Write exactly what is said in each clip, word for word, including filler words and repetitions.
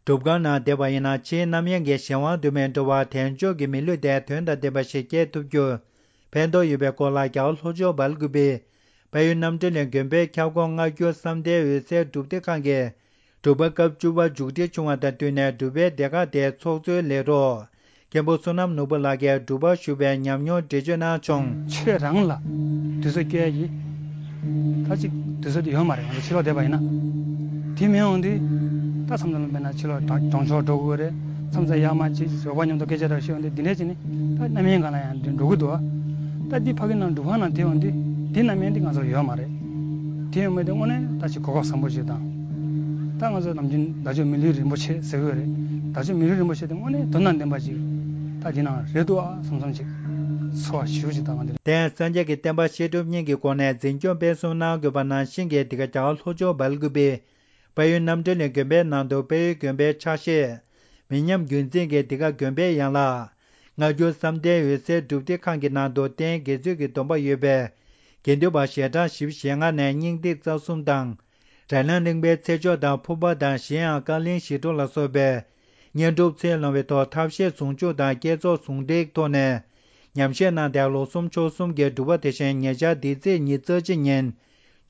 སྒྲུབ་ཁང་ནང་བསྡད་པ་ཡིན་ན་ཕྱིའི་རྣམ་གཡེང་གི་གཞན་དབང་དུ་མི་འགྲོ་བར་དལ་འབྱོར་གྱི་མི་ལུས་དེ་དོན་དང་ལྡན་པ་ཞིག་སྐྱེལ་ཐུབ་རྒྱུར་ཕན་ཐོགས་ཡོད་པའི་སྐོར་ལ། རྒྱ་གར་ལྷོ་ཕྱོགས་སྦེལ་ཀུ་པེའི་དཔལ་ཡུལ་རྣམ་འདྲེན་གླིང་དགོན་པའི་ཁྱབ་ཁོངས་སྔ་འགྱུར་བསམ་གཏན་འོད་གསལ་སྒྲུབ་སྡེ་ཁང་གི་སྒྲུབ་པ་སྐབས་བཅུ་པ་མཇུག་སྒྲིལ་བྱུང་བ་དང་བསྟུན་ནས། སྒྲུབ་པའི་སྡེ་ཁག་དེའི་ཚོགས་གཙོའི་ལས་རོགས་མཁན་པོ་བསོད་ནམས་ནོར་བུ་ལགས་ཀྱིས་སྒྲུབ་པ་ཞུ་བའི་ཉམས་མྱོང་འགྲེལ་བརྗོད་གནང་བྱུང་། ཆོས་རང་ལ་དུས་ཚོད་སྐྱེལ་གྱི་ད་ཅིག་དུས་ཚོད་དེ་ཡོད་མ་རེད། ང་ཚོ་ཕྱི་ལོགས་བསྡད་པ་ཡིན་ན། དེ་མིན་འོང་དུས་ད་མཚམས་མཚམས་ལ་དཔེར་ན་ཕྱི་ལོགས་གྲོང་གྲོང་ཆོག་འགྲོ་དགོས་རེད། མཚམས་མཚམས་ཡར་མར་ཅིག་ཞོགས་པ་མཉམ་དུ་སྐད་ཆ་འདྲ་བཤད་འོང་དུས་འདི་འདྲས་ཅིག་ནི་ད་རྣམ་གཡེང་སྒང་ལ་ཡང་འགྲོ་གི་འདུག་ད་འདི་ཕ་གི་ནང་སྒྲུབ་ཁང་ནང་དེ་འོང་དུས་འདི་རྣམ་གཡེང་འདི་ང་ཚོར་ཡོད་མ་རེད། དེ་ཡོད་མེད་དེ་དངོས་གནས་ད་ཅིག་གོ་སྐབས་བཟང་པོ་ཞིག་དང་། ད་ང་ཚོ་ནམ་རྒྱུན་བདག་ཅག་མི་ལུས་རིན་པོ་ཆེ་ཟེར་གི་ཡོད་རེད། བདག་ཅག་མི་ལུས་རིན་པོ་ཆེ་དེ་དངོས་གནས་དོན་དང་ལྡན་པ་ཅིག་ད་འདི་ནང་རེད་འདུག་ཨ་བསམ་བསམ་ཅིག་ཚོར་བ་ཞེ་པོ་ཅིག་བཏང་བ་འདི་རེད། དེ་སངས་རྒྱས་ཀྱི་བསྟན་པ་བཤད་སྒྲུབ་གཉིས་ཀྱི་སྒོ་ནས་འཛིན་སྐྱོང་སྤེལ་གསུམ་གནང་དགོས་པ་ནང་བཞིན་གྱི། འདི་ག་རྒྱ་གར་ལྷོ་ཕྱོགས་སྦེལ་ཀུ་པེའི་དཔལ་ཡུལ་རྣམ་འདྲེན་གླིང་དགོན་པའི་ནང་དུ་དཔལ་ཡུལ་དགོན་པའི་ཕྱག་བཞེས་མི་ཉམས་རྒྱུན་འཛིན་གྱིས། འདི་ག་དགོན་པའི་ཡན་ལག་སྔ་འགྱུར་བསམ་གཏན་འོད་གསལ་སྒྲུབ་སྡེ་ཁང་གི་ནང་དུ་རྟེན་དགེ་ཚུལ་གྱི་སྡོམ་པ་ཡོད་པའི་དགེ་འདུན་པ་ཞལ་གྲངས་བཞི་བཅུ་ཞེ་ལྔ་ནས་སྙིང་ཐིག་རྩ་གསུམ་དང་། རཏྣ་གླིང་པའི་ཚེ་མཆོག་དང་ཕུར་པ་དང་། གཞན་ཡང་ཀ་ལིང་ཞི་ཁྲོ་ལ་སོགས་པའི་བསྙེན་སྒྲུབ་ཚེ་ལོངས་པའི་ཐོག་ཐབས་ཤེས་ཟུང་འཇུག་དང་བསྐྱེད་རྫོགས་ཟུང་འབྲེལ་ཐོག་ནས་ཉམས་བཞེས་གནང་སྟེ། ལོ་གསུམ་ཕྱོགས་གསུམ་གྱི་སྒྲུབ་པ་དེ་བཞིན་ཉེ་ཆར་འདི་ཚེས་ཉི་ཤུ་རྩ་གཅིག་ཉིན་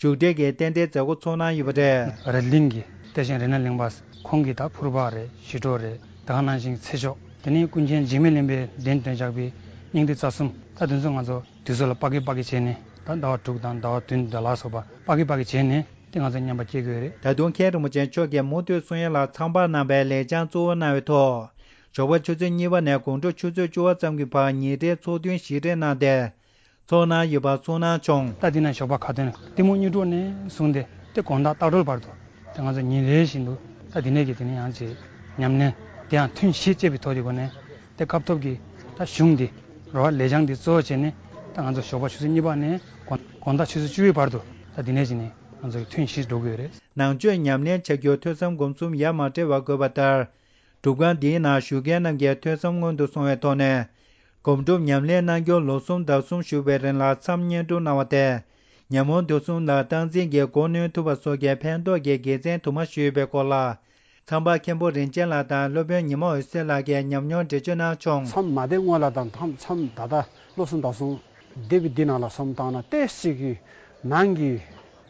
མཇུག་སྒྲིལ་གྱི་རྟེན་འབྲེལ་མཛད་སྒོ་ཚོགས་གནང་ཡོད་པ་རེད། རཏ་གླིང་གི་རྟེན་བཞེངས་རཏྣ་གླིང་པ་ཁོང་གིས་ད་ཕུར་པ་རེད། ཞི་ཁྲོ་རེད། ད་ག་ནང་བཞིན་ཚེ་མཆོག་དེ་ནས་ཀུན་མཁྱེན་འཇིགས་མེད་གླིང་པའི་གདན་དྲངས་བཞག་པའི་སྙིང་ཐིག་རྩ་གསུམ། ད་དེ་ཚོ་ང་ཚོ་དུས་ཚོད་ལ་དཔག་གི་དཔག་གི་བྱས་ནས། ད་ཟླ་བ་དྲུག་དང་ཟླ་བ་བདུན་དང་ལ་སོགས་པ་དཔག་གི་དཔག་གི་བྱས་ནས་དེ་ང་ཚོ་མཉམ་པ་སྐྱེལ་དགོས་རེད། ད་དུང་མཁན་རིན་པོ་ཆེ་མཆོག་གིས་མུ་མཐུད་གསུང་ཡ་ལ་ཚང་པར་གནང་བའི་ལེགས་བྱང་གཙོ་བོ་གནང་བའི་ཐོག་ཞོགས་པ་ཆུ་ཚོད་གཉིས་པ་ནས་དགོང་དྲོ་ཆུ་ཚོད་བཅུ་པ་ཙམ་གྱི་བར་ཉིན་རེའི་ཚོགས་ཐུན་བཞི་རེ་གནང་སྟེ། ཚོགས་གནང་ཡོད་པ་གསུངས་གནང་བྱུང་། ད་འདི་ན་ཞོགས་པ་ཁ་ཏོན་གཏི་མུག་གཉིད་འགྲོ་ནས་བཟུང་སྟེ་དེ་དགོང་དག་ལྟག་སྒྲོལ་བར་དུ་དེ་ང་ཚོ་ཉིན་རེ་བཞིན་དུ་ད་འདི་ནས་ཀྱི་དེ་ནས་ཡང་ཅིག་ཉམས་ལེན་དེ་ཡང་ཐུན་བཞི་བཅས་པའི་ཐོག་གི་སྒོ་ནས་དེ་སྐབས་ཐོབ་ཀྱི་ད་གཞུང་འདི་རོ་བ་ལས་བྱང་འདི་གཙོ་བོ་བྱས་ནས་ད་ང་ཚོ་ཞོགས་པ་ཆུ་ཚོད་གཉིས་པ་ནས་དགོང་དག་ཆུ་ཚོད་བཅུ་པའི་བར་དུ་ད་འདི་ནས་ཀྱི་ནས་ང་ཚོ་ཐུན་བཞི་འགྲོ་དགོས་རེད། ནང་ཆོས་ཉམས་ལེན་བྱ་རྒྱུར་ཐོས་བསམ་སྒོམ་གསུམ་ཡ་མ་བྲལ་བ་དགོས་པ་ལྟར། སྒྲུབ་ཁང་འདིའི་ནང་བཞུགས་མཁན་རྣམས་ཀྱིས་ཐོས་བསམ་སྔོན་དུ་སོང་བའི་ཐོག་ནས། སྒོམ་སྒྲུབ་ཉམས་ལེན་གནང་རྒྱུར་ལོ་གསུམ་ཟླ་གསུམ་བཞུགས་པའི་རིང་ལ་མཚམས་བསྙེན་སྒྲུབ་གནང་བ་དེ། ཉམས་མྱོང་དེ་གསུམ་ལ་སྟངས་འཛིན་གྱིས་གོ་གནོན་ཐུབ་པ་སོགས་ཀྱི་ཕན་ཐོགས་ཀྱི་དགེ་མཚན་དུ་མ་ཞུས་ཡོད་པའི་སྐོར་ལ། ཚངས་པ་མཁན་པོ་རིན་ཆེན་ལགས་དང་སློབ་དཔོན་ཉི་མ་འོད་ཟེར་ལགས་ཀྱིས་ཉམས་མྱོང་འགྲེལ་བརྗོད་གནང་བྱུང་། མཚམས་མ་བསྡད་སྔོན་ལ་དང་མཚམས་མཚམས་ད་ལྟ་ལོ་གསུམ་ཟླ་གསུམ་སྡེ་བའི་འདི་ནང་ལ་བསམ་བཏང་ན་ཏོག་ཙམ་གྱི་ནང་གི་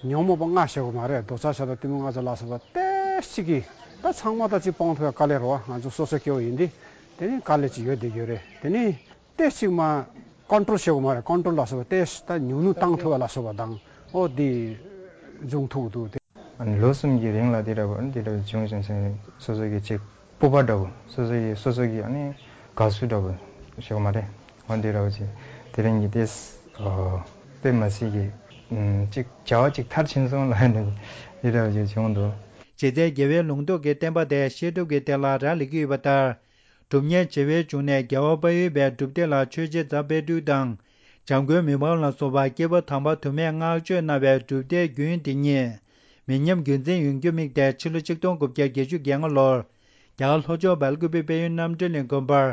ཉོན་མོངས་པ་ལྔ་བཤད་དགོས་མ་རེད། འདོད་ཆགས་ཞེ་སྡང་གཏི་མུག་ང་ཚོ་ལ་སོགས་པ་ཏོག་ཙམ་གྱི་ད་ཚང་མ་ད་ཅིག་སྤང་ཐུབ་ཡ་དཀའ་ལས་རེད་བ། ང་ཚོ་སོ་སོ་སྐྱེ་བོ་ཡིན་དུས་དེ་ནི་དཀའ་ལས་ཅིག་ཡོད་བསྡད་ཀྱི་ཡོད་རེད། དེ་ནི་ཏོག་ཙམ་མ་ཀོན་ཊོལ་བྱེད་དགོས་མ་རེད། ཀོན་ཊོལ་ལ་སོགས་པ་ཏོག་ཙམ་ད་ཉུང་ཉུང་བཏང་ཐུབ་ཡ་ལ་སོགས་པ་དང་ཨོ་དེ་འབྱུང་ཐུབ་འདུག་དེ། ལོ་གསུམ་གྱི་རིང་ལ་དེ་འདྲ་བ་དེ་འདྲ་བ་བྱུང་བྱུང་སོང་། སོ་སོ་གི་ཅིག་སྤོབས་པ་འདྲ་བོ། སོ་སོ་གི་སོ་སོ་གི་ཨ་ནི་དགའ་བསུ་འདྲ་བོ་ཞིག་མ་རེད། འོ་འདི་འདྲ་བོ་ཅིག་དེ་རིང་གི་དེ་དཔེ་མ་སྲིད་ཀྱི་ཅིག་བྱ་བ་ཅིག་མཐར་ཕྱིན་སོང་ལབ་ནས་འདི་འདྲ་བོ་ཅིག་བྱུང་འདུག། ཇི་ལྟར་རྒྱལ་བའི་ལུང་རྟོགས་ཀྱི་བསྟན་པ་དེ་བཤད་སྒྲུབ་ཀྱི་སྡེ་ལ་རག་ལས་ཀྱི་ཡོད་པ་ལྟར། སྒྲུབ་གཉེར་བྱེ་བའི་འབྱུང་གནས་རྒྱལ་བ་དཔལ་ཡུལ་པའི་སྒྲུབ་སྡེ་ལ་ཆོས་རྗེ་རྫ་དཔལ་སྤྲུལ་དང་། འཇམ་མགོན་མི་ཕམ་ལ་སོགས་པ་སྐྱེས་བུ་དམ་པ་དུ་མས་བསྔགས་བརྗོད་གནང་བའི་སྒྲུབ་སྡེ་རྒྱུན་འདི་ཉིད་མི་ཉམས་རྒྱུན་འཛིན་ཡོང་རྒྱུ་དམིགས་ཏེ། ཕྱི་ལོ་ཆིག་སྟོང་དགུ་བརྒྱ་བརྒྱད་ཅུ་གྱ་ལྔ་ལོར་རྒྱ་གར་ལྷོ་ཕྱོགས་སྦེལ་ཀུ་པེ་དཔལ་ཡུལ་རྣམ་འདྲེན་གླིང་དགོན་པར་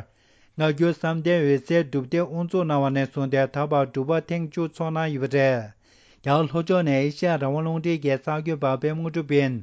སྔ་འགྱུར་བསམ་གཏན་འོད་གསལ་སྒྲུབ་སྡེ་དབུ་འཛུགས་གནང་བ་ནས་བཟུང་སྟེ་ད་བར་སྒྲུབ་པ་ཐེངས་བཅུ་ཚོགས་གནང་ཡོད་པ་རེད། རྒྱ་གར་ལྷོ་ཕྱོགས་ནས་ཨེ་ཤ་ཡ་རང་དབང་རླུང་འཕྲིན་གྱི་གསར་འགོད་པ་པད་མ་དངོས་གྲུབ་ཡིན།